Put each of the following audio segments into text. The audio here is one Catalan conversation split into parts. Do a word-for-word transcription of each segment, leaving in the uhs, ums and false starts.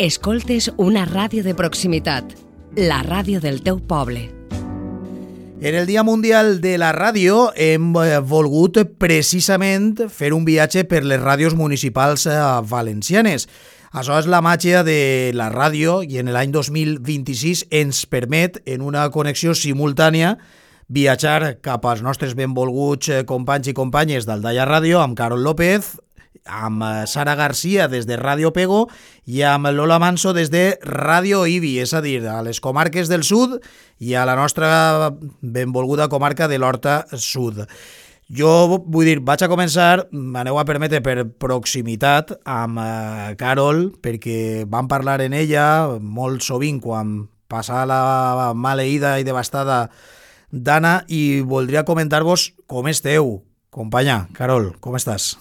Escoltes una ràdio de proximitat, la ràdio del teu poble. En el Dia Mundial de la Ràdio hem volgut precisament fer un viatge per les ràdios municipals valencianes. Això és la màgia de la ràdio i en l'any dos mil vint-i-sis ens permet, en una connexió simultània, viatjar cap als nostres benvolguts companys i companyes d'Aldaia Ràdio, amb Carol López, amb Sara Garcia des de Ràdio Pego i amb Lola Manso des de Ràdio Ibi, és a dir, a les comarques del sud i a la nostra benvolguda comarca de l'Horta Sud. Jo vull dir, vaig a començar, m'aneu a permetre, per proximitat amb eh, Carol, perquè vam parlar en ella molt sovint quan passava la maleïda i devastada d'Anna, i voldria comentar-vos com esteu. Companya, Carol, com estàs?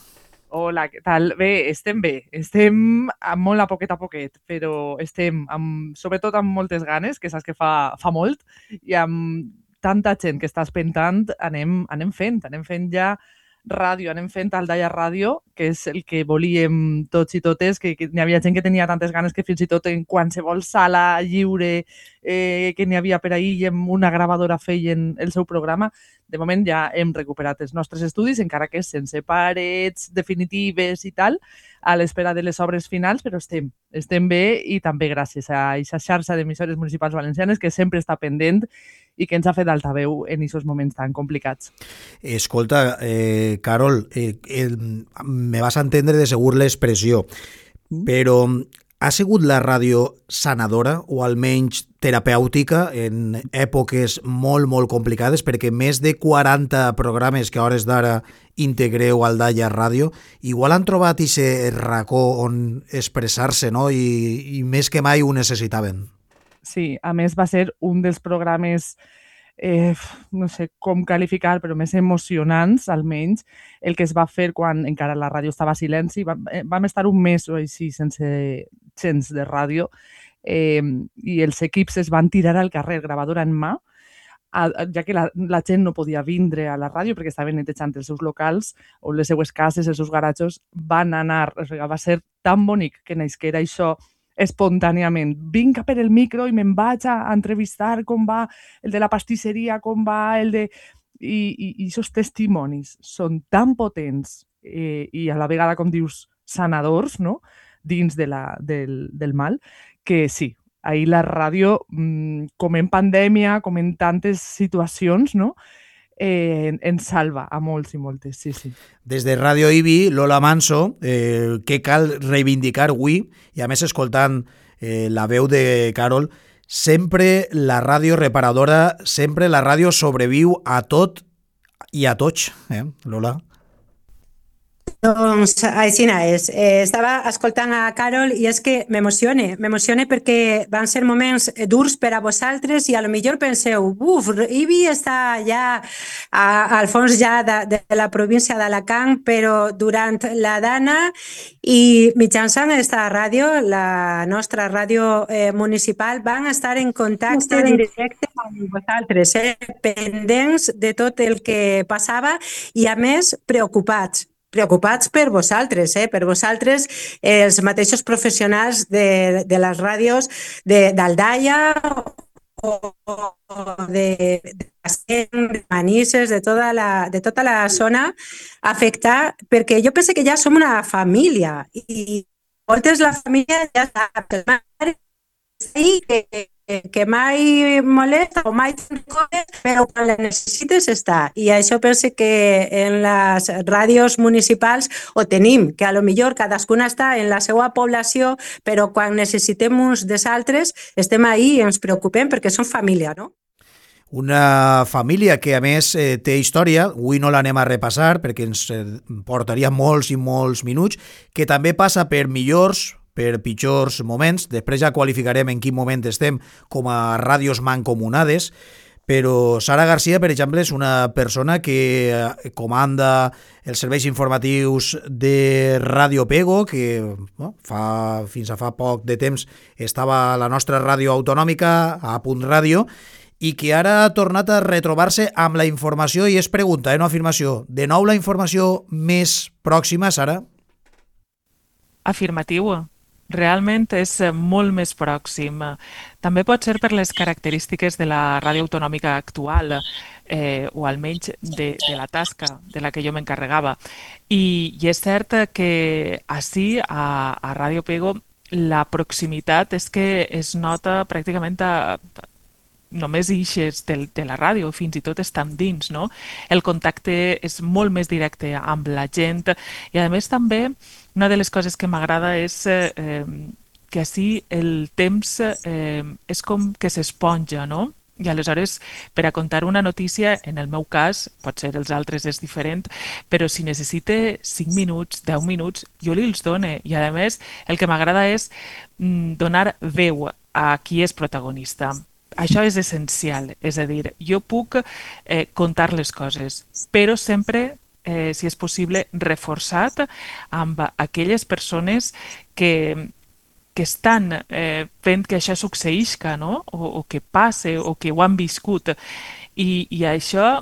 Hola, què tal? Bé, estem bé. Estem amb molt a poquet a poquet, però estem amb, sobretot amb moltes ganes, que saps que fa, fa molt, i amb tanta gent que està espentant, anem, anem fent, anem fent ja ràdio, anem fent Aldaia Ràdio, que és el que volíem tots i totes, que, que n'hi havia gent que tenia tantes ganes que fins i tot en qualsevol sala lliure eh, que n'hi havia per ahir i amb una gravadora feien el seu programa. De moment ja hem recuperat els nostres estudis, encara que sense parets definitives i tal, a l'espera de les obres finals, però estem, estem bé, i també gràcies a aquesta xarxa d'emissores municipals valencianes que sempre està pendent i que ens ha fet altaveu en aquests moments tan complicats. Escolta, eh, Carol, eh, eh, me vas a entendre de segur l'expressió, mm. però ha sigut la ràdio sanadora o almenys terapèutica en èpoques molt, molt complicades, perquè més de quaranta programes que a hores d'ara integreu al Aldaia Ràdio, igual han trobat aquest racó on expressar-se, no? I, i més que mai ho necessitaven. Sí, a més va ser un dels programes, eh, no sé com qualificar, però més emocionants, almenys, el que es va fer quan encara la ràdio estava a silenci. Vam, eh, vam estar un mes o així sense gens de ràdio, eh, i els equips es van tirar al carrer, gravadora en mà, a, ja que la, la gent no podia vindre a la ràdio perquè estaven netejant els seus locals o les seues cases, els seus garatjos. Van anar, o sigui, va ser tan bonic que naixera això espontàniament. Vinc per el micro i me'n vaig a entrevistar com va el de la pastisseria, com va el de... I, i, i aquests testimonis són tan potents eh, i a la vegada, com dius, sanadors, no?, dins de la, del, del mal, que sí, ahir la ràdio, com en pandèmia, com en tantes situacions, no?, Eh, ens salva a molts i moltes, sí, sí. Des de Ràdio Ibi, Lola Manso, eh, què cal reivindicar avui, i a més escoltant eh, la veu de Carol, sempre la ràdio reparadora, sempre la ràdio sobreviu a tot i a tots, eh, Lola? Doncs així és. Eh, estava escoltant a Carol i és que m'emocione, m'emocione perquè van ser moments durs per a vosaltres i a lo millor penseu, uf, Ibi està ja a, al fons ja de, de la província d'Alacant, però durant la Dana i mitjançant aquesta ràdio, la nostra ràdio eh, municipal, van estar en contacte directe amb vosaltres, eh, pendents de tot el que passava i a més preocupats. preocupats per vosaltres, eh? per vosaltres, eh, els mateixos professionals de, de les ràdios d'Aldaia o, o de, de, de Manises, de tota, la, de tota la zona afectada, perquè jo penso que ja som una família i moltes la família ja sap, el mare sí, que, que mai molesta o mai coses, però quan la necessites està. I això penso que en les ràdios municipals ho tenim, que a lo millor cadascuna està en la seva població, però quan necessitem uns dels altres estem ahí i ens preocupem perquè som família, no? Una família que a més eh, té història, avui no l'anem a repassar perquè ens eh, portaria molts i molts minuts, que també passa per millors, per pitjors moments. Després ja qualificarem en quin moment estem com a ràdios mancomunades, però Sara Garcia, per exemple, és una persona que comanda els serveis informatius de Ràdio Pego, que no, fa, fins a fa poc de temps estava a la nostra ràdio autonòmica, a Punt Ràdio, i que ara ha tornat a retrobar-se amb la informació, i és pregunta, eh, no afirmació. De nou la informació més pròxima, Sara? Afirmatiu. realment és molt més pròxim. També pot ser per les característiques de la ràdio autonòmica actual, eh, o almenys de, de la tasca de la que jo m'encarregava. I, I és cert que així, a, a Ràdio Pego, la proximitat és que es nota pràcticament a, només ixes de, de la ràdio, fins i tot estan dins, no? El contacte és molt més directe amb la gent i a més també una de les coses que m'agrada és eh, que així el temps eh, és com que s'esponja, no? I aleshores, per a contar una notícia, en el meu cas, potser els altres és diferent, però si necessite cinc minuts, deu minuts, jo li els done. I a més, el que m'agrada és mm, donar veu a qui és protagonista. Això és essencial, és a dir, jo puc eh, contar les coses, però sempre, eh, si és possible, reforçat amb aquelles persones que, que estan eh, fent que això succeïsca, no? o, o que passe, o que ho han viscut. I, i això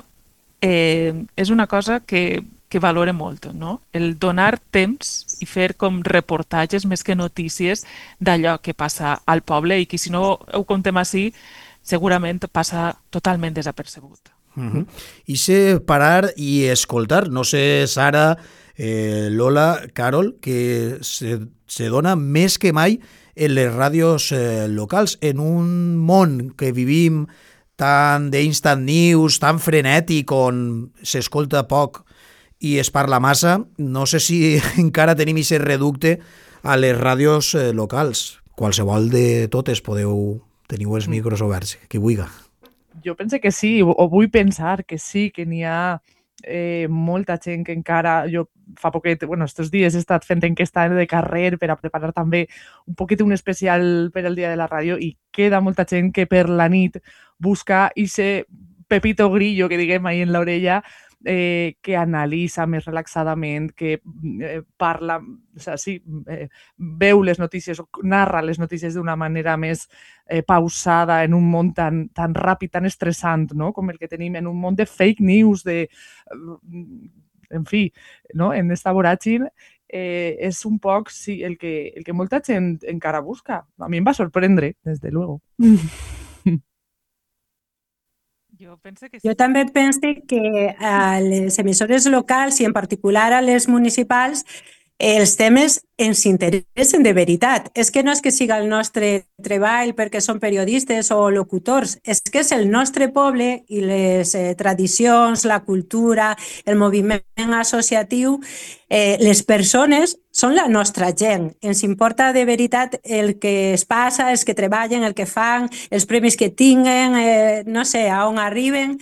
eh, és una cosa que, que valore molt, no? El donar temps i fer com reportatges més que notícies d'allò que passa al poble i que si no ho contem així, segurament passa totalment desapercebut. Uh-huh. I sé parar i escoltar. No sé, Sara, eh, Lola, Carol, que se, se dona més que mai en les ràdios eh, locals, en un món que vivim tan d'instant news, tan frenètic, on s'escolta poc i es parla massa. No sé si encara tenim aquest reducte a les ràdios eh, locals. Qualsevol de totes podeu... Teniu els micros oberts, qui vulgui. Jo penso que sí, o vull pensar que sí, que n'hi ha eh, molta gent que encara... Jo fa poquet, bueno, estos dies he estat fent enquesta de carrer per a preparar també un poquet un especial per al Dia de la Ràdio i queda molta gent que per la nit busca ese pepito grillo que diguem ahí en l'orella, Eh, que analitza més relaxadament, que eh, parla, o sea, sí, eh, veu les notícies o narra les notícies d'una manera més eh, pausada en un món tan, tan ràpid, tan estressant, no? Com el que tenim en un món de fake news, de, en fi, no? En esta voràgine, eh, és un poc sí, el, que, el que molta gent encara busca. A mi em va sorprendre, des de luego. Jo, pense que sí. Jo també penso que a les emissores locals i en particular a les municipals els temes ens interessen de veritat. És que no és que siga el nostre treball perquè som periodistes o locutors, és que és el nostre poble i les eh, tradicions, la cultura, el moviment associatiu, eh, les persones són la nostra gent. Ens importa de veritat el que es passa, els que treballen, el que fan, els premis que tinguen, eh, no sé, a on arriben.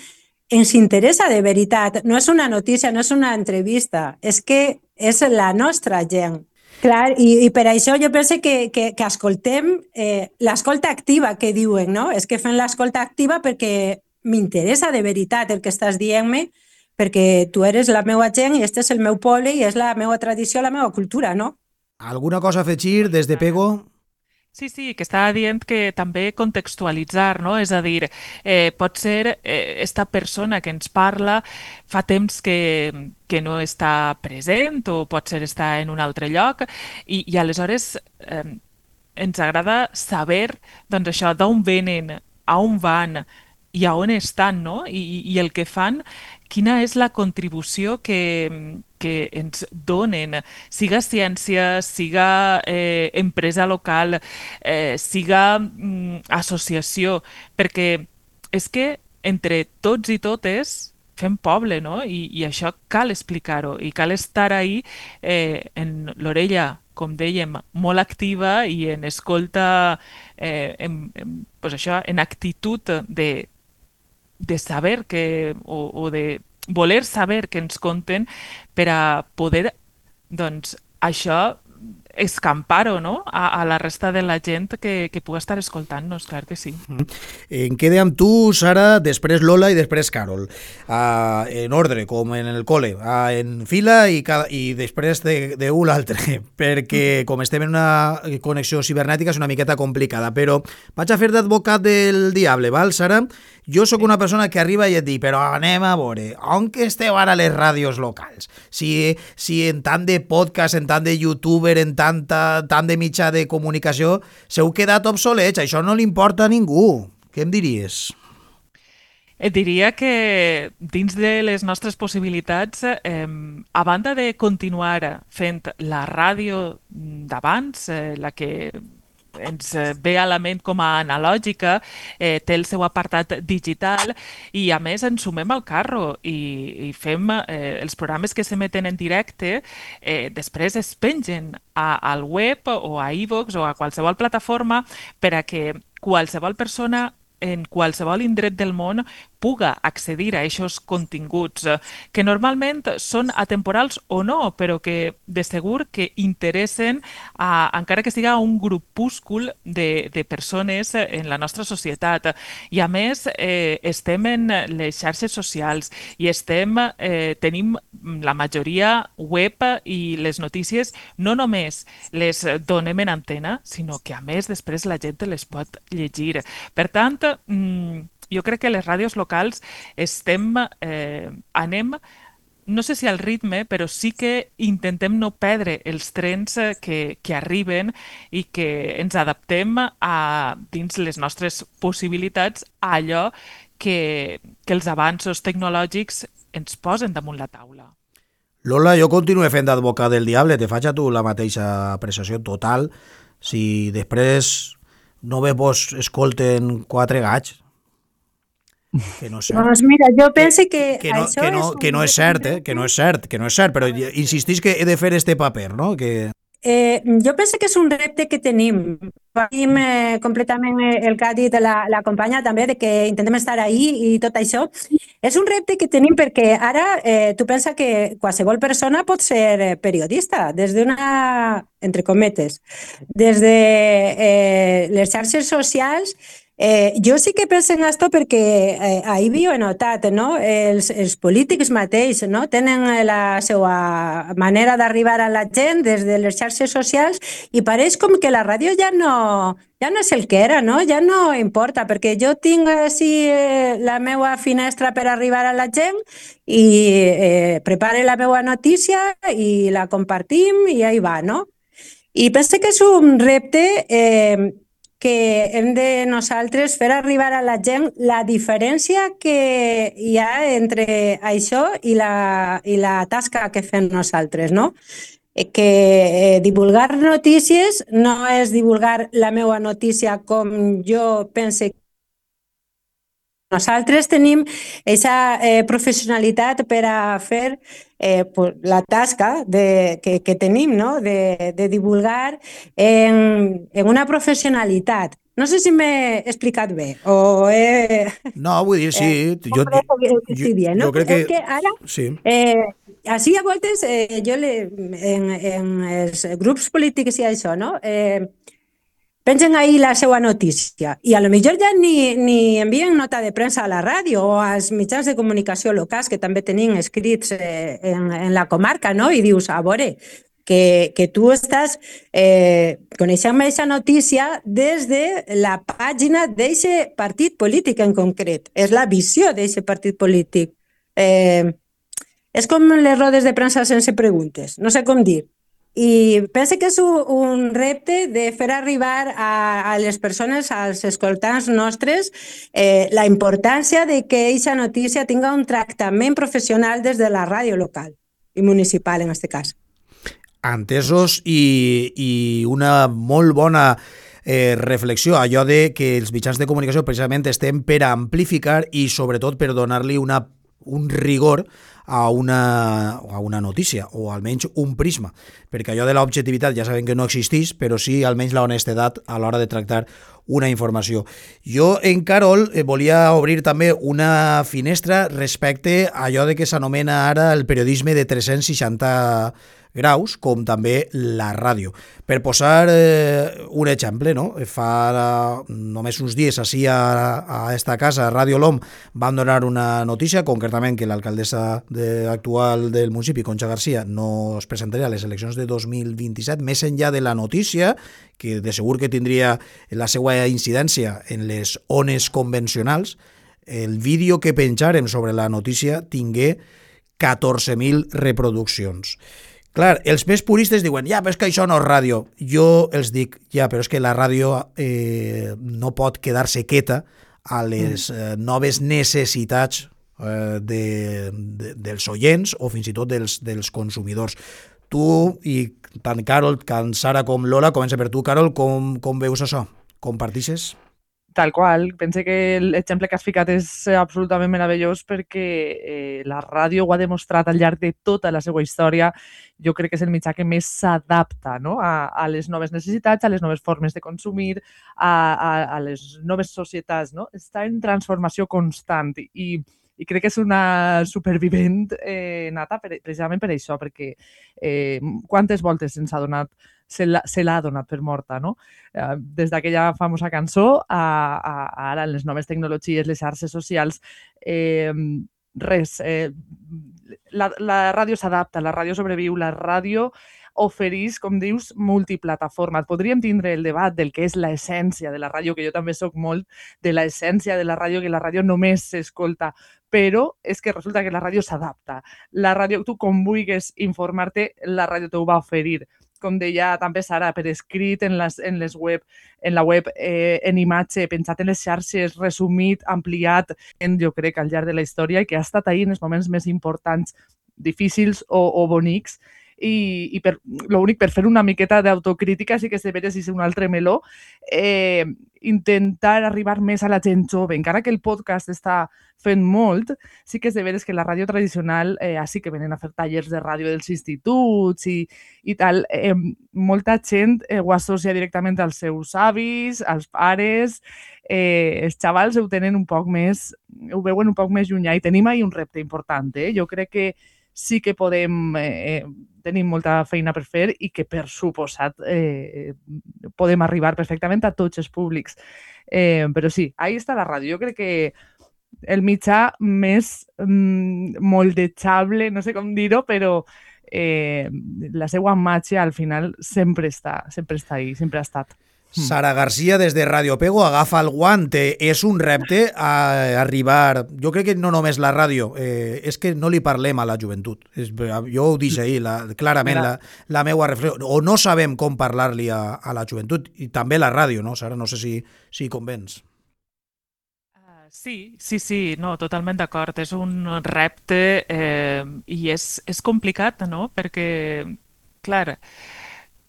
Ens interessa de veritat. No és una notícia, no és una entrevista, és que és la nostra gent. Clar, i, i per això jo penso que, que, que escoltem eh, l'escolta activa que diuen, no? És que fem l'escolta activa perquè m'interessa de veritat el que estàs dient-me, perquè tu eres la meva gent i este és el meu poble i és la meva tradició, la meva cultura, no? Alguna cosa a afegir des de Pego? Sí, sí, que estava dient que també contextualitzar, no? És a dir, eh, pot ser eh, esta persona que ens parla fa temps que, que no està present o pot ser està en un altre lloc i, i aleshores eh, ens agrada saber doncs això, d'on venen, a on van i a on estan, no? I, i el que fan, quina és la contribució que, que ens donen, siga ciència, siga eh, empresa local, eh, siga mm, associació, perquè és que entre tots i totes fem poble, no? I, i això cal explicar-ho i cal estar ahí eh, en l'orella, com dèiem, molt activa i en escolta, eh, en, en, pues això, en actitud de de saber que, o, o de voler saber que ens conten per a poder, doncs, això escampar-ho, no? A, a la resta de la gent que, que pugui estar escoltant-nos, clar que sí. En quede amb tu, Sara, després Lola i després Carol. Uh, en ordre, com en el cole, uh, en fila i, cada, i després d'un de l'altre, perquè com estem en una connexió cibernètica és una miqueta complicada, però vaig a fer d'advocat del diable, val, Sara? Jo sóc una persona que arriba i et dic, però anem a veure, on que esteu ara les ràdios locals? Si, si en tant de podcast, en tant de youtuber, en tant tanta, tant de mitjà de comunicació, s'heu quedat obsolets, això no li importa a ningú. Què em diries? Et diria que dins de les nostres possibilitats, eh, a banda de continuar fent la ràdio d'abans, eh, la que ens ve a la ment com a analògica, eh, té el seu apartat digital i a més ens sumem al carro i, i fem eh, els programes que s'emeten en directe, eh, després es pengen a, al web o a iVoox o a qualsevol plataforma per a que qualsevol persona en qualsevol indret del món puga accedir a aquests continguts que normalment són atemporals o no, però que de segur que interessen a, encara que siga un grupúscul de, de persones en la nostra societat. I a més eh, estem en les xarxes socials i estem, eh, tenim la majoria web i les notícies no només les donem en antena, sinó que a més després la gent les pot llegir. Per tant, jo crec que les ràdios locals estem, eh, anem, no sé si al ritme, però sí que intentem no perdre els trens que, que arriben i que ens adaptem a, dins les nostres possibilitats a allò que, que els avanços tecnològics ens posen damunt la taula. Lola, jo continuo fent d'advocat del diable, te faig a tu la mateixa apreciació total. Si després no ve vos escolten quatre gats, que no és cert. Doncs mira, jo penso que, que, que, no, això que, no, és un... que no és cert, eh? que no és cert, que no és cert, però insistís que he de fer este paper, no? Que... Eh, jo penso que és un repte que tenim. Tenim eh, completament el que ha dit la, la companya també, de que intentem estar ahí i tot això. És un repte que tenim perquè ara eh, tu pensa que qualsevol persona pot ser periodista, des d'una, entre cometes, des de eh, les xarxes socials. Eh, jo sí que penso en això perquè eh, ahir ho he notat, no? Els, els polítics mateix, no? Tenen la seva manera d'arribar a la gent des de les xarxes socials i pareix com que la ràdio ja no, ja no és el que era, no? Ja no importa, perquè jo tinc així eh, la meva finestra per arribar a la gent i eh, prepare la meva notícia i la compartim i ahí va, no? I penso que és un repte eh, que hem de nosaltres fer arribar a la gent la diferència que hi ha entre això i la, i la tasca que fem nosaltres, no? Que eh, divulgar notícies no és divulgar la meva notícia com jo pense. Nosaltres tenim aquesta eh, professionalitat per a fer eh, pues, la tasca de, que, que tenim, no? de, de divulgar en, en una professionalitat. No sé si m'he explicat bé o he... No, vull dir, sí. Eh, jo, jo, jo, bien, no? jo crec que... És que ara, sí. eh, així a voltes, eh, jo le, en, en els grups polítics i això, no? Eh, pengen ahí la seva notícia i a lo millor ja ni, ni envien nota de premsa a la ràdio o als mitjans de comunicació locals que també tenim escrits eh, en, en la comarca, no? I dius, a veure, que, que tu estàs eh, coneixent aquesta notícia des de la pàgina d'aquest partit polític en concret. És la visió d'aquest partit polític. Eh, és com les rodes de premsa sense preguntes, no sé com dir. I penso que és un repte de fer arribar a, a les persones, als escoltants nostres, eh, la importància de que aquesta notícia tinga un tractament professional des de la ràdio local i municipal, en aquest cas. Entesos i, i una molt bona eh, reflexió, allò de que els mitjans de comunicació precisament estem per amplificar i sobretot per donar-li una un rigor a una, a una notícia, o almenys un prisma, perquè allò de l'objectivitat ja sabem que no existeix, però sí almenys la honestedat a l'hora de tractar una informació. Jo, en Carol, eh, volia obrir també una finestra respecte a allò de que s'anomena ara el periodisme de tres-cents seixanta graus, com també la ràdio. Per posar eh, un exemple, no? Fa eh, només uns dies així a, a esta casa, a Ràdio L'Om, van donar una notícia, concretament que l'alcaldessa de, actual del municipi, Concha García, no es presentaria a les eleccions de dos mil vint-i-set, més enllà de la notícia, que de segur que tindria la seva incidència en les ones convencionals, el vídeo que penjarem sobre la notícia tingué catorze mil reproduccions. Clar, els més puristes diuen, ja, però és que això no és ràdio. Jo els dic, ja, però és que la ràdio eh, no pot quedar-se quieta a les eh, noves necessitats eh, de, de, dels oients o fins i tot dels, dels consumidors. Tu, i tant Carol, tant Sara com Lola, comença per tu, Carol, com, com veus això? Compartixes? Tal qual. Pense que l'exemple que has ficat és absolutament meravellós perquè eh, la ràdio ho ha demostrat al llarg de tota la seva història. Jo crec que és el mitjà que més s'adapta, no? a, a les noves necessitats, a les noves formes de consumir, a, a, a les noves societats. No? Està en transformació constant i, i crec que és una supervivent eh, nata per, precisament per això, perquè eh, quantes voltes se'ns ha donat se l'ha donat per morta, no? Eh, des d'aquella famosa cançó a, a, a ara, les noves tecnologies, les xarxes socials, eh, res, eh, la, la ràdio s'adapta, la ràdio sobreviu, la ràdio oferís, com dius, multiplataformes. Podríem tindre el debat del que és l'essència de la ràdio, que jo també soc molt de l'essència de la ràdio, que la ràdio només s'escolta, però és que resulta que la ràdio s'adapta. La ràdio, tu com vulguis informar-te, la ràdio t'ho va oferir. Com deia també Sara, per escrit en, les, en, les web, en la web, eh, en imatge, pensat en les xarxes, resumit, ampliat, en, jo crec, al llarg de la història i que ha estat ahí en els moments més importants, difícils o, o bonics. I, i per, l'únic, per fer una miqueta d'autocrítica, sí que és de veres si és un altre meló, eh, intentar arribar més a la gent jove. Encara que el podcast està fent molt, sí que és de veres que la ràdio tradicional, eh, així que venen a fer tallers de ràdio dels instituts i, i tal, eh, molta gent eh, ho associa directament als seus avis, als pares, eh, els xavals ho tenen un poc més, ho veuen un poc més llunyà i tenim ahí un repte important. Eh? Jo crec que sí que podem, eh, tenim molta feina per fer i que, per suposat, eh, podem arribar perfectament a tots els públics. Eh, però sí, ahí està la ràdio. Jo crec que el mitjà més mm, moldejable, no sé com dir-ho, però eh, la seva màgia al final sempre està, sempre està ahí, sempre ha estat. Sara Garcia, des de Radio Pego, agafa el guante. És un repte a arribar... Jo crec que no només la ràdio, eh, és que no li parlem a la joventut. És, jo ho dic ahir, la, clarament, la, la meua reflexió. O no sabem com parlar-li a, a la joventut, i també la ràdio, no, Sara? No sé si, si convens. Uh, sí, sí, sí, no, totalment d'acord. És un repte eh, i és, és complicat, no?, perquè, clar,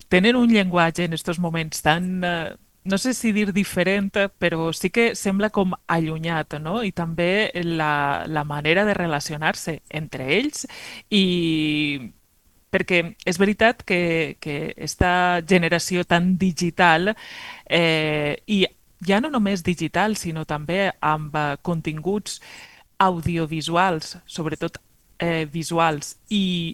tenen un llenguatge en aquests moments tan, eh, no sé si dir diferent, però sí que sembla com allunyat, no? I també la, la manera de relacionar-se entre ells i perquè és veritat que, que esta generació tan digital eh, i ja no només digital, sinó també amb eh, continguts audiovisuals, sobretot eh, visuals, i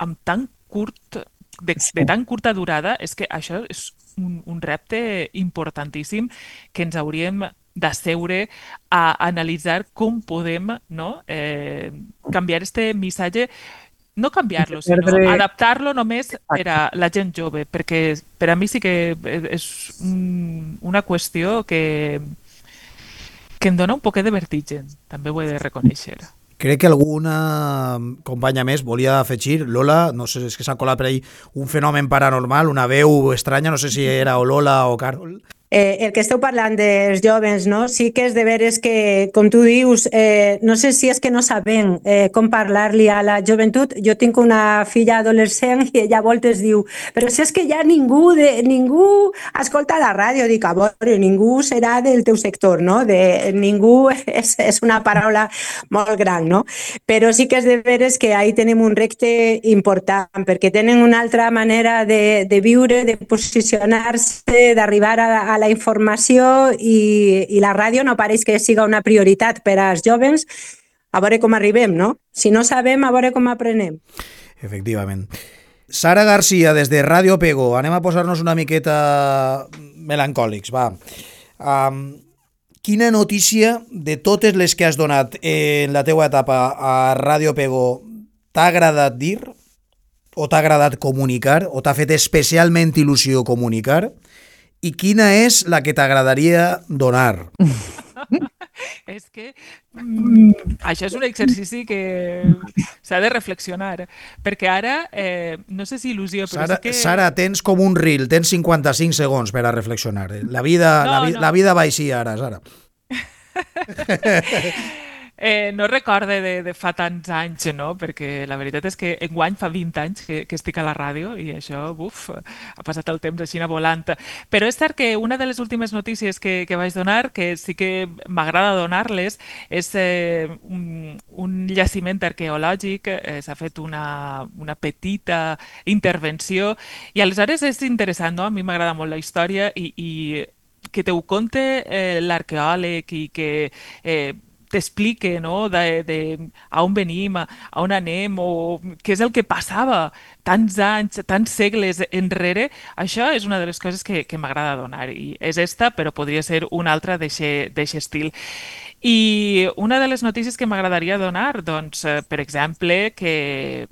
amb tan curt De, de tan curta durada, és que això és un, un repte importantíssim que ens hauríem d'asseure a analitzar com podem, no, eh, canviar este missatge, no canviar-lo, sinó adaptar-lo només per a la gent jove, perquè per a mi sí que és un, una qüestió que, que em dona un poquet de vertigen, també ho he de reconèixer. Crec que alguna companya més volia afegir. Lola, no sé, és que s'ha colat per ahí un fenomen paranormal, una veu estranya, no sé si era o Lola o Carol. Eh, el que esteu parlant dels joves, no? Sí que és de veres que, com tu dius, eh, no sé si és que no sabem eh, com parlar-li a la joventut. Jo tinc una filla adolescent i ella a voltes diu, però si és que ja ningú, de, ningú escolta la ràdio. Dic, a veure, ningú serà del teu sector, no? De, ningú és, és una paraula molt gran, no? Però sí que és de veres que ahí tenim un repte important, perquè tenen una altra manera de, de viure, de posicionar-se, d'arribar a, a la la informació i, i la ràdio no pareix que siga una prioritat per als joves. A veure com arribem, no? Si no sabem, a veure com aprenem. Efectivament. Sara Garcia, des de Radio Pego. Anem a posar-nos una miqueta melancòlics, va. Um, quina notícia de totes les que has donat en la teua etapa a Radio Pego t'ha agradat dir, o t'ha agradat comunicar, o t'ha fet especialment il·lusió comunicar? I quina és la que t'agradaria donar? És que mm, això és un exercici que s'ha de reflexionar, perquè ara, eh, no sé si il·lusió, però Sara, sí que... Sara, tens com un reel, tens cinquanta-cinc segons per a reflexionar. La vida, No, la, vi, no. la vida va així ara, Sara. Eh, no recorde de, de fa tants anys, no? Perquè la veritat és que enguany fa vint anys que, que estic a la ràdio i això, buf, ha passat el temps així volant. Però és cert que una de les últimes notícies que, que vaig donar, que sí que m'agrada donar-les, és eh, un, un jaciment arqueològic, eh, s'ha fet una, una petita intervenció i aleshores és interessant, no? A mi m'agrada molt la història i, i que te ho conte eh, l'arqueòleg i que eh, t'explique, no?, de, de a on venim, a, a on anem, o què és el que passava tants anys, tants segles enrere, això és una de les coses que, que m'agrada donar. I és esta, però podria ser una altra d'aquest estil. I una de les notícies que m'agradaria donar, doncs, eh, per exemple, que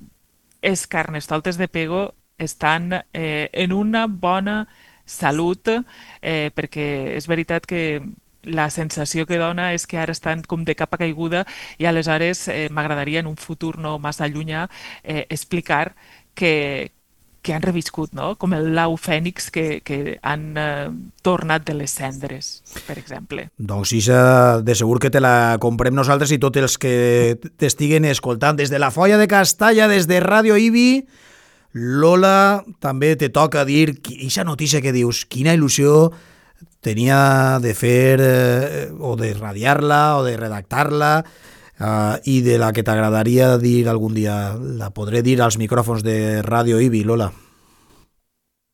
els carnestoltes de Pego estan eh, en una bona salut, eh, perquè és veritat que la sensació que dona és que ara estan com de capa caiguda i aleshores eh, m'agradaria en un futur no massa llunyà eh, explicar que, que han reviscut, no? Com el l'au fènix que, que han eh, tornat de les cendres, per exemple. Doncs Isa, de segur que te la comprem nosaltres i tots els que t'estiguen escoltant. Des de la Folla de Castalla, des de Ràdio Ibi, Lola, també te toca dir, aquesta notícia que dius, quina il·lusió tenia de fer eh, o de radiar-la o de redactar-la eh, i de la que t'agradaria dir algun dia. La podré dir als micròfons de Ràdio Ibi, Lola.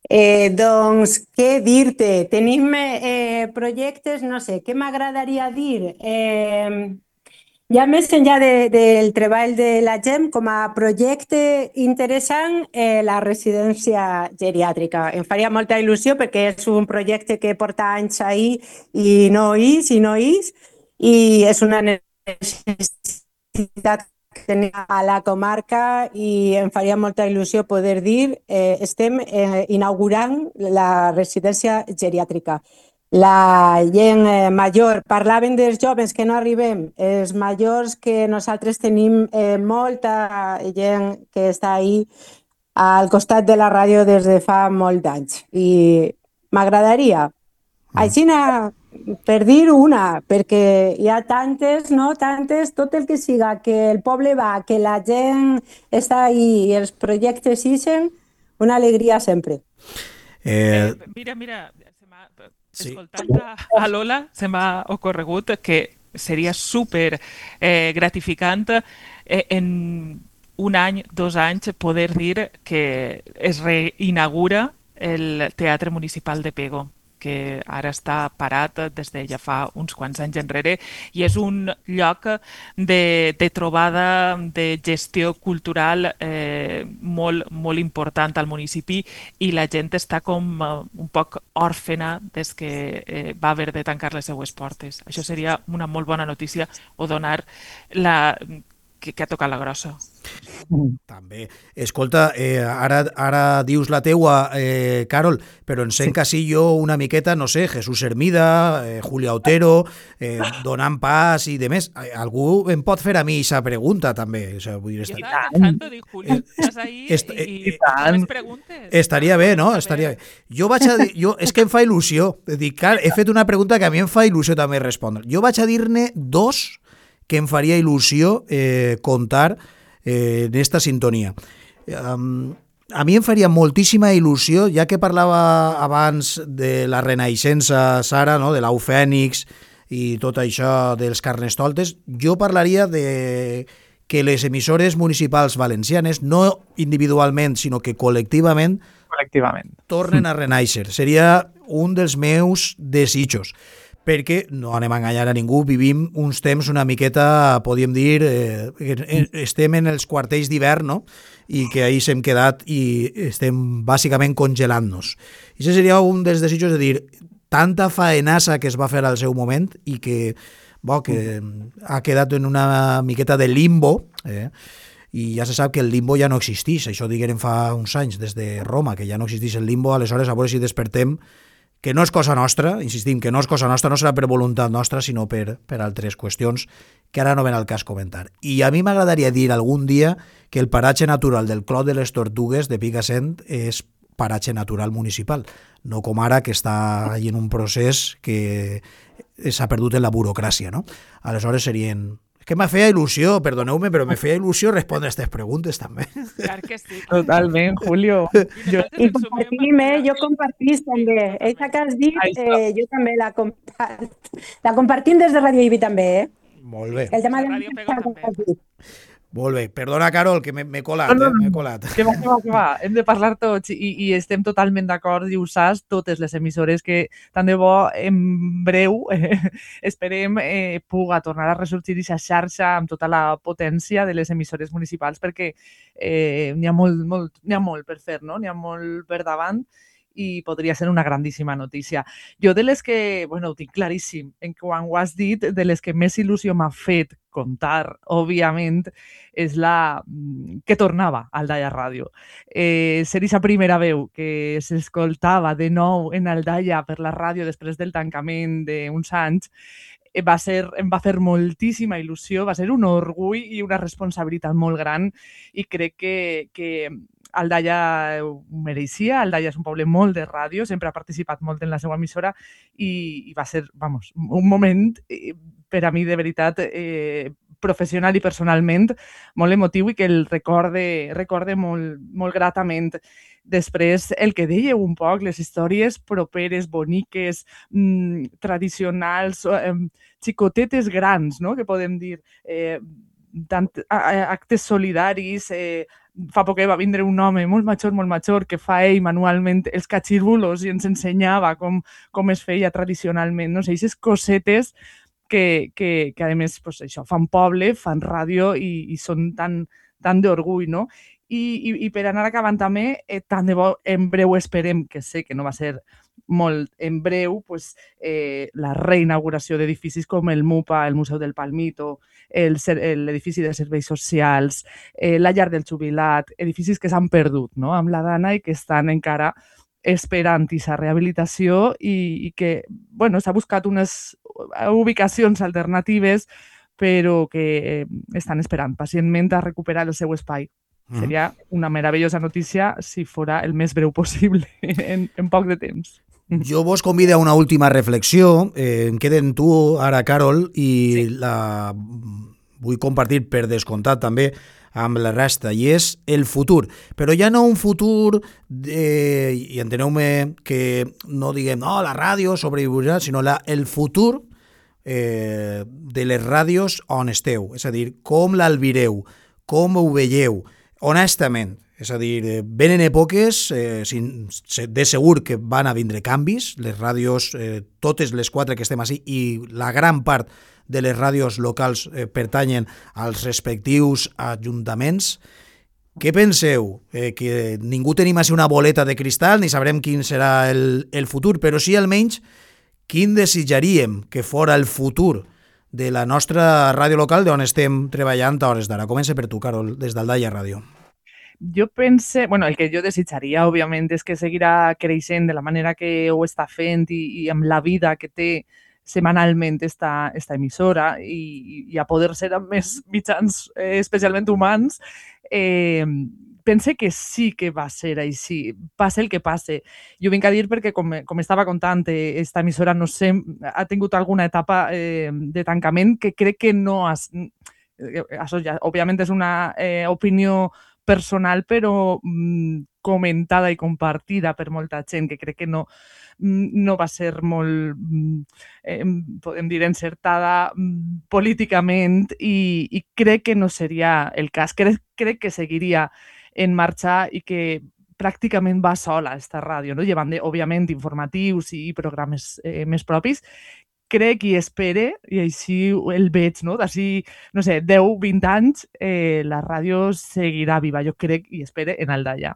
Eh, doncs, què dir-te? Tenim eh, projectes, no sé, què m'agradaria dir? Eh, ja més enllà de, del treball de la G E M, com a projecte interessant, eh, la residència geriàtrica. Em faria molta il·lusió perquè és un projecte que porta anys ahí i no és, i no és, i és una necessitat que tenim a la comarca i em faria molta il·lusió poder dir eh, estem eh, inaugurant la residència geriàtrica. La gent eh, major, parlaven dels joves que no arribem, els majors que nosaltres tenim eh, molta gent que està ahí al costat de la ràdio des de fa molt d'anys i m'agradaria. Així, per dir una, perquè hi ha tantes, no? Tantes, tot el que siga, que el poble va, que la gent està ahí i els projectes ixen, una alegria sempre. Eh, mira, mira, sí. Escoltant a, a Lola se m'ha ocorregut que seria super eh, gratificant eh, en un any, dos anys, poder dir que es reinaugura el Teatre Municipal de Pego, que ara està parat des de ja fa uns quants anys enrere i és un lloc de, de trobada, de gestió cultural eh, molt, molt important al municipi i la gent està com uh, un poc òrfena des que eh, va haver de tancar les seues portes. Això seria una molt bona notícia o donar la... que, que ha tocat la grossa. També. Escolta, eh, ara, ara dius la teua, eh, Carol, però en sent sí. jo una miqueta, no sé, Jesús Hermida, eh, Julia Otero, eh, donant pas i demés. Algú em pot fer a mi aquesta pregunta, també. O sea, vull dir, jo estava pensant, dic, Julia, estàs ahí Est i, i, i més preguntes. Estaria bé, no? Estaria bé. Jo vaig a dir, jo, és que em fa il·lusió. Dic, clar, he fet una pregunta que a mi em fa il·lusió també respondre. Jo vaig a dir-ne dos que em faria il·lusió eh, contar eh, en esta sintonia. Um, a mi em faria moltíssima il·lusió, ja que parlava abans de la renaixença, Sara, no? De l'au fènix i tot això dels carnestoltes, jo parlaria de que les emissores municipals valencianes, no individualment, sinó que col·lectivament, col·lectivament. tornen a renaixer. Seria un dels meus desitjos. Perquè, no anem a enganyar a ningú, vivim uns temps una miqueta, podríem dir, eh, estem en els quartells d'hivern, no? I que ahir s'hem quedat i estem bàsicament congelant-nos. I això seria un dels desitjos de dir, tanta faenassa que es va fer al seu moment i que, bo, que ha quedat en una miqueta de limbo, eh? I ja se sap que el limbo ja no existeix, això digueren fa uns anys des de Roma, que ja no existeix el limbo, aleshores a veure si despertem que no és cosa nostra, insistim, que no és cosa nostra, no serà per voluntat nostra, sinó per, per altres qüestions que ara no ven al cas comentar. I a mi m'agradaria dir algun dia que el paratge natural del Clot de les Tortugues de Picassent és paratge natural municipal, no com ara que està en un procés que s'ha perdut en la burocràcia, no? Aleshores serien... És que me feia il·lusió, perdoneu-me, però me feia il·lusió respondre a aquestes preguntes també. Clar que sí. Totalment, Julio. Jo... I compartim, eh? Jo compartís també. Eixa que has dit, eh, jo també la compart... La compartim des de Radio Ibi també, eh? Molt bé. El tema de Radio Pego també. Molt bé. Perdona, Carol, que m'he colat, No, no, eh? M'he no. colat. Que va, que va, que va. Hem de parlar tots i, i estem totalment d'acord i ho saps totes les emissores que tant de bo en breu eh, esperem eh, puga tornar a ressorgir aquesta xarxa amb tota la potència de les emissores municipals perquè eh, n'hi ha molt, molt, n'hi ha molt per fer, no? N'hi ha molt per davant i podria ser una grandíssima notícia. Jo de les que, bueno, ho tinc claríssim, en quan ho has dit, de les que més il·lusió m'ha fet contar, òbviament, és la que tornava al Aldaia Ràdio. Eh, ser aquesta primera veu que s'escoltava de nou en Aldaia per la ràdio després del tancament d'uns anys va ser, em va fer moltíssima il·lusió, va ser un orgull i una responsabilitat molt gran i crec que, que Aldaia ho mereixia. Aldaia és un poble molt de ràdio, sempre ha participat molt en la seva emissora i, i va ser, vamos, un moment eh, per a mi de veritat eh, professional i personalment molt emotiu i que el recorde, recorde molt, molt gratament. Després, el que dèieu un poc, les històries properes, boniques, mmm, tradicionals, eh, xicotetes grans, no?, que podem dir, eh, tant, actes solidaris. Eh, fa poc va vindre un home molt major, molt major, que fa ell manualment els catxirbulos i ens ensenyava com, com es feia tradicionalment. No sé, aquestes cosetes que, que, que a més, pues, això, fan poble, fan ràdio i, i són tan, tan d'orgull, no? I, i, i per anar acabant també, eh, tant de bo en breu esperem, que sé que no va ser molt en breu, pues, eh, la reinauguració d'edificis com el MUPA, el Museu del Palmito, l'edifici de serveis socials, eh, la llar del jubilat, edificis que s'han perdut, no?, amb la Dana i que estan encara esperant aquesta rehabilitació i, i que, bueno, s'ha buscat unes ubicacions alternatives però que eh, estan esperant pacientment a recuperar el seu espai. Mm. Seria una meravellosa notícia si fora el més breu possible en, en poc de temps. Jo vos convido a una última reflexió. Eh, em queden tu ara, Carol, i sí. la vull compartir per descomptat també amb la resta, i és el futur. Però ja no un futur, de, i enteneu-me que no diguem no, la ràdio sobreviurà, sinó la, el futur eh, de les ràdios on esteu. És a dir, com l'albireu, com ho veieu, honestament. És a dir, venen èpoques, eh, de segur que van a vindre canvis, les ràdios, eh, totes les quatre que estem així, i la gran part de les ràdios locals eh, pertanyen als respectius ajuntaments. Què penseu? Eh, que ningú tenim així una boleta de cristal, ni sabrem quin serà el, el futur, però sí almenys quin desitjaríem que fora el futur de la nostra ràdio local d'on estem treballant a hores d'ara. Comença per tu, Carol, des d'Aldaia Ràdio. Jo pense, bueno, el que jo desitjaria, òbviament, és que seguirà creixent de la manera que ho està fent i, i amb la vida que té setmanalment esta, esta emissora i, i a poder ser amb més mitjans, eh, especialment humans, eh, pense que sí que va ser així, passe el que passe. Jo vinc a dir perquè, com, com estava contant, esta emissora, no sé, ha tingut alguna etapa eh, de tancament que crec que no... Has, això ja, òbviament, és una eh, opinió personal, però mm, comentada i compartida per molta gent, que crec que no, no va ser molt, eh, podem dir, encertada mm, políticament i, i crec que no seria el cas. Crec, crec que seguiria en marxa i que pràcticament va sola esta ràdio, no? Llevant, òbviament, informatius i programes eh, més propis. Crec i espere, i així el veig, no? D'ací, no sé, deu, vint anys, eh, la ràdio seguirà viva, jo crec i espere, en Aldaia.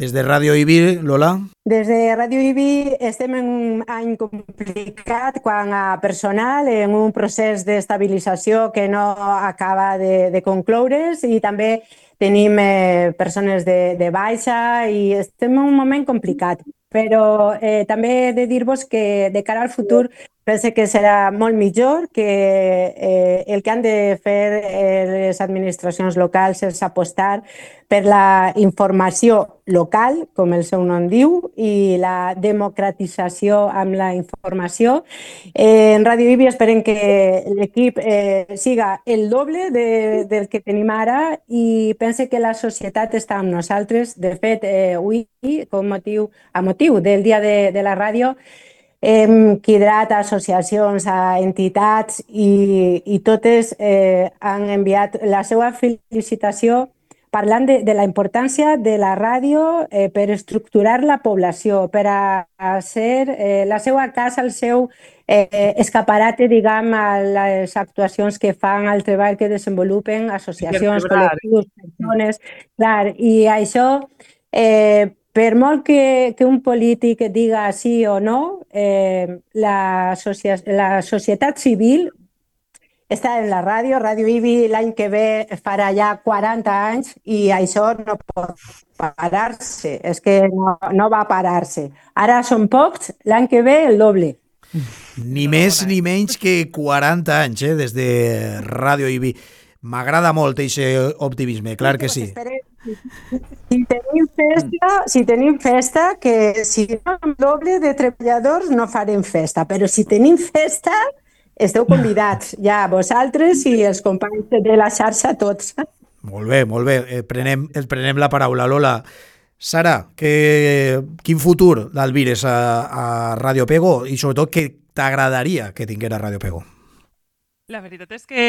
Des de Ràdio Ibi, Lola? Des de Ràdio Ibi estem en un any complicat quant a personal, en un procés d'estabilització que no acaba de, de concloure's i també tenim eh, persones de, de baixa i estem en un moment complicat. però eh, també he de dir-vos que de cara al futur pense que serà molt millor, que eh, el que han de fer eh, les administracions locals és apostar per la informació local, com el seu nom diu, i la democratització amb la informació. Eh, en Radio Ibi esperem que l'equip eh, siga el doble de, del que tenim ara i pense que la societat està amb nosaltres. De fet, eh, avui, com motiu, a motiu del Dia de, de la Ràdio, hem cridat a associacions, a entitats i, i totes eh, han enviat la seva felicitació parlant de, de la importància de la ràdio eh, per estructurar la població, per a, a ser eh, la seva casa, el seu eh, escaparate, diguem, a les actuacions que fan, al treball que desenvolupen associacions, col·lectius, persones. Clar, i això, eh, per molt que, que un polític diga sí o no, eh, la, socia la societat civil està en la ràdio. Radio Ibi l'any que ve farà ja quaranta anys i això no pot parar-se. És que no, no va parar-se. Ara són pocs, l'any que ve el doble. Ni més ni menys que quaranta anys, eh, des de Radio Ibi. M'agrada molt aquest optimisme, clar que sí. Si tenim festa, si tenim festa, que si no amb doble de treballadors no farem festa, però si tenim festa, esteu convidats, ja vosaltres i els companys de la xarxa, tots. Molt bé, molt bé. Eh, prenem, et prenem la paraula, Lola. Sara, que, quin futur l'alvires a, a Radio Pego i sobretot què t'agradaria que tinguera Radio Pego? La veritat és que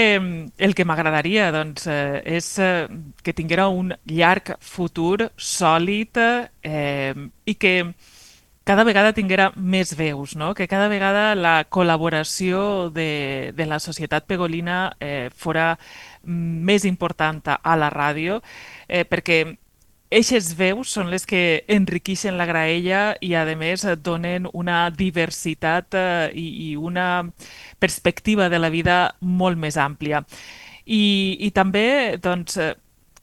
el que m'agradaria doncs, eh, és eh, que tinguera un llarg futur sòlid eh, i que cada vegada tinguera més veus, no? Que cada vegada la col·laboració de, de la societat pegolina eh, fora més important a la ràdio, eh, perquè eixes veus són les que enriqueixen la graella i, a més, donen una diversitat eh, i, i una perspectiva de la vida molt més àmplia. I, i també, doncs,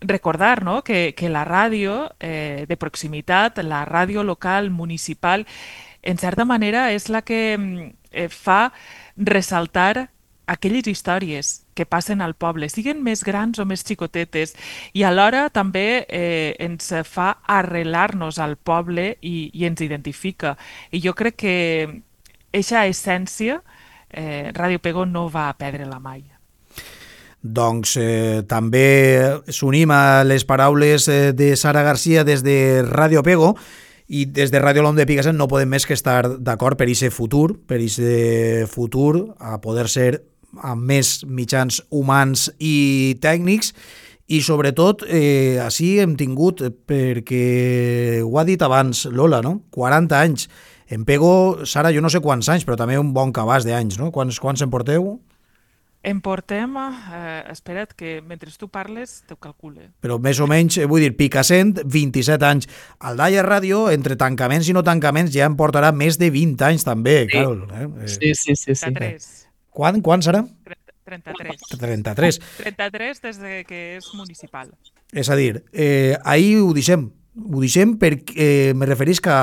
recordar, no?, que, que la ràdio eh, de proximitat, la ràdio local, municipal, en certa manera és la que eh, fa ressaltar aquelles històries que passen al poble, siguin més grans o més xicotetes, i alhora també eh, ens fa arrelar-nos al poble i, i ens identifica. I jo crec que eixa essència eh, Radio Pego no va perdre-la mai. Doncs eh, també s'unim a les paraules eh, de Sara Garcia des de Radio Pego, i des de Ràdio L'Om de Picassent no podem més que estar d'acord per aquest futur, per aquest futur a poder ser amb més mitjans humans i tècnics, i sobretot eh, així hem tingut, perquè ho ha dit abans Lola, no? quaranta anys. En Pego, Sara, jo no sé quants anys, però també un bon cabàs d'anys, no? Quants, quants en porteu? En portem, eh, espera't que mentre tu parles t'ho calcule. Però més o menys, vull dir, Picassent, vint-i-set anys. Al Daia Ràdio, entre tancaments i no tancaments, ja en portarà més de vint anys també, sí. Carol. Eh? Sí, sí, sí. sí. trenta-tres. Quan, quan serà? trenta-tres. trenta-tres. trenta-tres des de que és municipal. És a dir, eh, ahir ho deixem. Ho deixem perquè eh, me referís que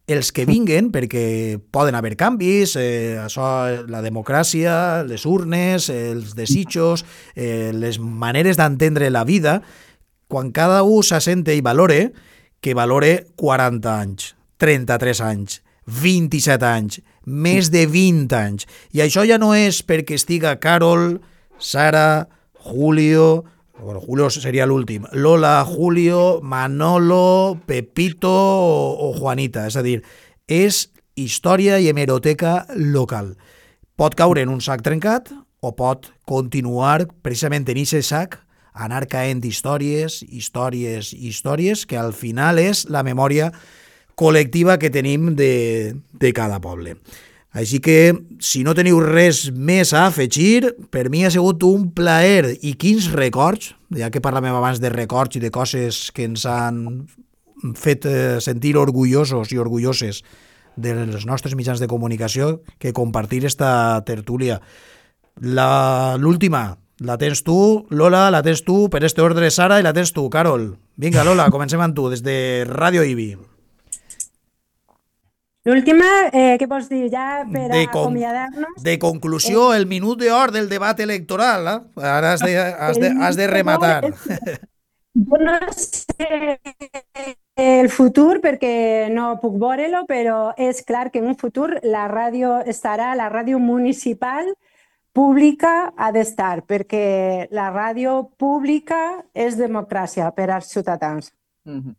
els que vinguen, perquè poden haver canvis, eh, això, la democràcia, les urnes, els desitjos, eh, les maneres d'entendre la vida, quan cada un s'assente i valore, que valore quaranta anys, trenta-tres anys, vint-i-set anys, més de vint anys. I això ja no és perquè estiga Carol, Sara, Julio, bueno, Julio seria l'últim, Lola, Julio, Manolo, Pepito o, o Juanita. És a dir, és història i hemeroteca local. Pot caure en un sac trencat o pot continuar precisament en aquest sac, anar caent històries, històries, històries, que al final és la memòria col·lectiva que tenim de, de cada poble. Així que, si no teniu res més a afegir, per mi ha sigut un plaer i quins records, ja que parlàvem abans de records i de coses que ens han fet sentir orgullosos i orgulloses dels nostres mitjans de comunicació, que compartir esta tertúlia. L'última la tens tu, Lola, la tens tu, per este ordre Sara, i la tens tu, Carol. Vinga, Lola, comencem amb tu, des de Radio Ibi. L'última, eh, què vols dir? Ja per De, con acomiadar-nos? de conclusió, el minut d'or del debat electoral. Eh? Ara has de, has de, has de rematar. Jo no sé el futur perquè no puc veure-lo, però és clar que en un futur la ràdio estarà, la ràdio municipal pública ha d'estar, perquè la ràdio pública és democràcia per als ciutadans. Mhm.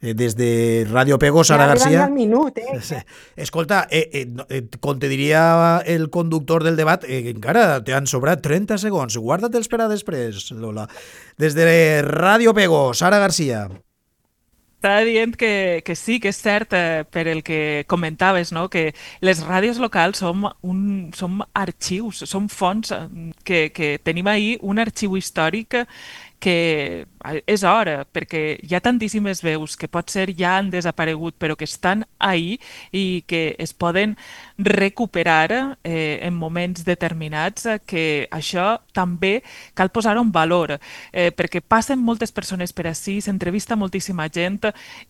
Des de Ràdio Pego, Sara Ja arribant Garcia. al minut, eh? Escolta, eh, eh, eh, com te diria el conductor del debat, eh, encara t'han sobrat trenta segons. Guarda-te'ls per a després, Lola. Des de Ràdio Pego, Sara Garcia. Estava dient que, que sí, que és cert eh, per el que comentaves, no? Que les ràdios locals som, un, som arxius, som fonts eh, que, que tenim ahir un arxiu històric que és hora, perquè hi ha tantíssimes veus que potser ja han desaparegut, però que estan ahí i que es poden recuperar eh, en moments determinats, eh, que això també cal posar en valor, eh, perquè passen moltes persones per ací, s'entrevista moltíssima gent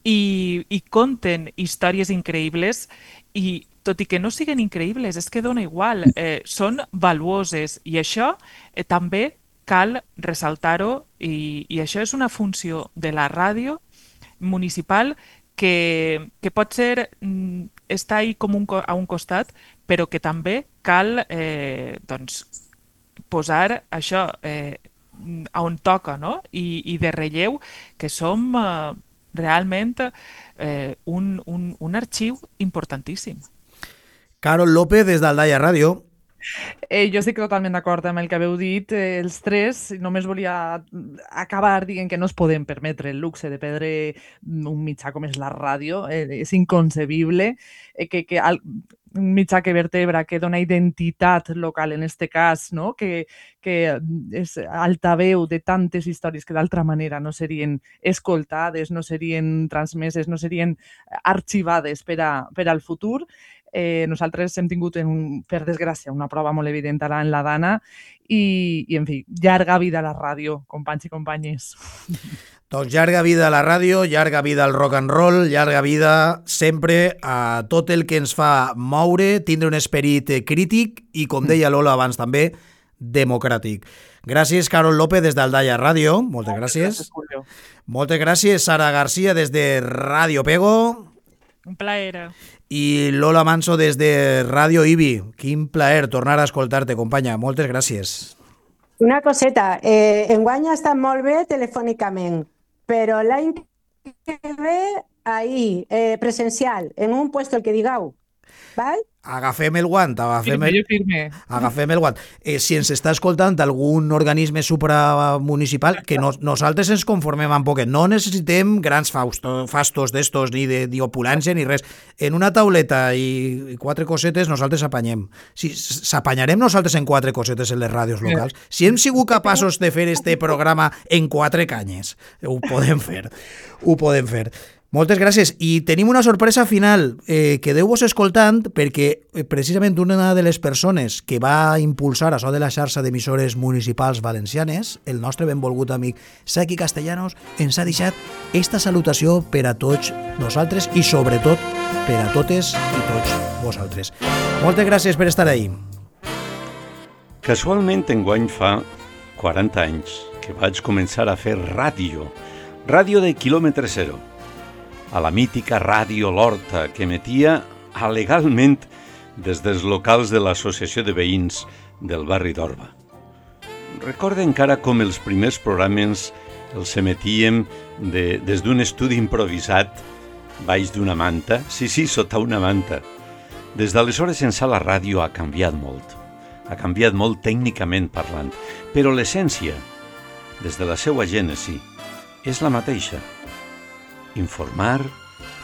i, i conten històries increïbles i tot i que no siguin increïbles, és que dona igual, eh, són valuoses i això eh, també cal ressaltar-ho i, i això és una funció de la ràdio municipal que, que pot ser mm, està ahí com un, a un costat, però que també cal eh, doncs, posar això eh, on toca, no? I, i de relleu que som eh, realment eh, un, un, un arxiu importantíssim. Carol López, des d'Aldaia Ràdio. Eh, jo estic totalment d'acord amb el que haveu dit eh, els tres. Només volia acabar dient que no es podem permetre el luxe de perdre un mitjà com és la ràdio. Eh, és inconcebible eh, que, que al, un mitjà que vertebra, que dona identitat local en este cas, no? que, que és altaveu de tantes històries que d'altra manera no serien escoltades, no serien transmeses, no serien arxivades per, a, per al futur. Eh, nosaltres hem tingut, en, per desgràcia, una prova molt evident ara en la Dana i, i, en fi, llarga vida a la ràdio, companys i companyes. Doncs llarga vida a la ràdio, llarga vida al rock and roll, llarga vida sempre a tot el que ens fa moure, tindre un esperit crític i, com deia Lola abans també, democràtic. Gràcies, Carol López, des d'Aldaia Ràdio. Moltes gràcies. Moltes gràcies, Sara Garcia, des de Ràdio Pego. Un plaer. I Lola Manso des de Ràdio Ibi. Quin plaer tornar a escoltar-te, companya. Moltes gràcies. Una coseta, eh, enguany ha estat molt bé telefònicament, però l'any que ve, ahí, eh, presencial, en un puesto el que digueu, val? Agafem el guant, agafem Firme, el, jo firme. agafem el guant. Eh, si ens està escoltant algun organisme supramunicipal, que no, nosaltres ens conformem amb poquet. No necessitem grans faustos, fastos d'estos, ni de ni opulència, ni res. En una tauleta i, i quatre cosetes nosaltres apanyem. Si s'apanyarem nosaltres en quatre cosetes en les ràdios locals, si hem sigut capaços de fer este programa en quatre canyes, ho podem fer. Ho podem fer. Moltes gràcies. I tenim una sorpresa final. Eh, Quedeu-vos escoltant perquè eh, precisament una de les persones que va impulsar això de la xarxa d'emissores municipals valencianes, el nostre benvolgut amic Saki Castellanos, ens ha deixat esta salutació per a tots nosaltres i sobretot per a totes i tots vosaltres. Moltes gràcies per estar ahí. Casualment enguany fa quaranta anys que vaig començar a fer ràdio, ràdio de quilòmetre zero, a la mítica Ràdio L'Horta, que emetia legalment des dels locals de l'Associació de Veïns del barri d'Orba. Recordo encara com els primers programes els emetíem de, des d'un estudi improvisat baix d'una manta, sí, sí, sota una manta. Des d'aleshores ençà la ràdio ha canviat molt, ha canviat molt tècnicament parlant, però l'essència, des de la seva gènesi, és la mateixa. Informar,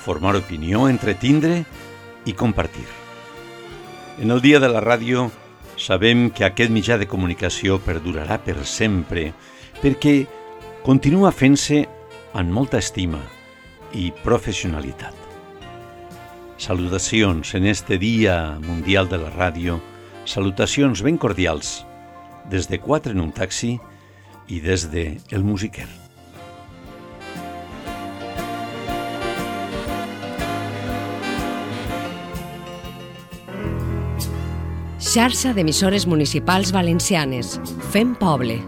formar opinió, entretindre i compartir. En el Dia de la Ràdio sabem que aquest mitjà de comunicació perdurarà per sempre perquè continua fent-se amb molta estima i professionalitat. Salutacions en este Dia Mundial de la Ràdio, salutacions ben cordials des de Quatre en un taxi i des de El Musiquer. Xarxa d'emissores municipals valencianes. Fem poble.